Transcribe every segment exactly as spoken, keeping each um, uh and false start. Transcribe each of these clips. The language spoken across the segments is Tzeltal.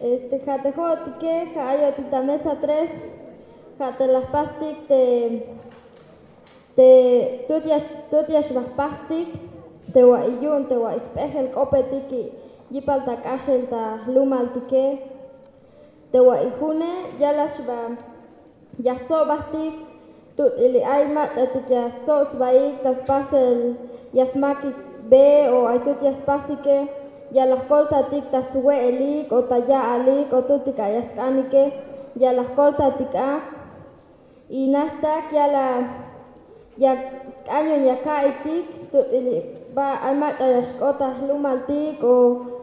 Este, ja' te jo'otike ja' ayotik ta mesa tres. Ja' te la jpastik te te tut ya tut ya xba jpastik te wa'i yu'un te wa'i sp'ejel k'opetik yipal ta k'axel ta jlumaltike. Te wa'i june ya la xba ya jtsobajtik. Tut'ili ay mach'atik ya stsob sbaik ta spasel ya smakik be o ay tut ya spasike. Ya la jkoltatik ta swe'elik o ta ya'alik o tutik a ya sk'anike. Ya la jkoltatik a y naxtak ya la ya sk'an yu'un ya ka'iytik. Tut'ili ba ay mach'a ya xk'ot ta jlumaltik o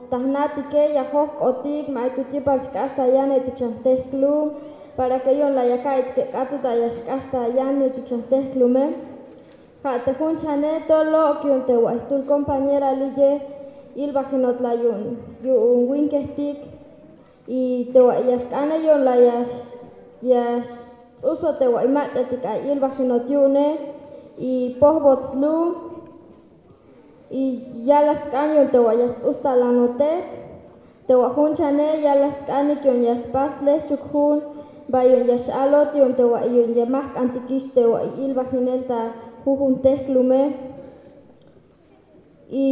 ta jnatike ya jojk'otik ma ay tut yipal xk'ax ta yanetik xan jtejklum para ke yu'un la ya ka'iytik k'atut a ya xk'ax ta yanetik xan jtejklume. Ja' te jun chane tol lok' yu'un te wa'i jtul compañera liye ilbajinot la yu'un yu'un winkejtik. Y te wa'i ya sk'ane yu'un la ya ya sts'uso te wa'i mach'atik ay ilbajinot yu'une y pojbot slum y ya la sk'an yu'un te wa'i ya sts'us talanote. Te wa' jun chane ya la sk'anik yu'un ya spas lejchuk jun ba yu'un ya x'alot yu'un te wa'i yu'un ya ma jk'antikix te wa'i ilbajinel ta jujun tejklume. Y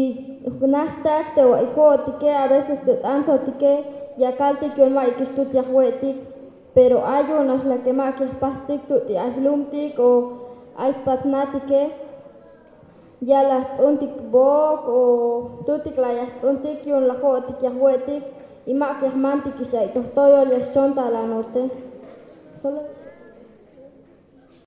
naxtak te wa'i jo'otike a veces te t'antzotike ya kaltik yu'un ma'yukix tut ya jwe'tik. Pero ay yu'un nax la ke ma'yuk ya jpastik tut'i ay jlumtik o ay spat jnatike ya la jts'untik bok o tutik la ya jts'untik yu'un la jo'otik ya jwe'tik. Y ma'yuk ya jmantikix ay to jtoyol ya xchon talanote. Solo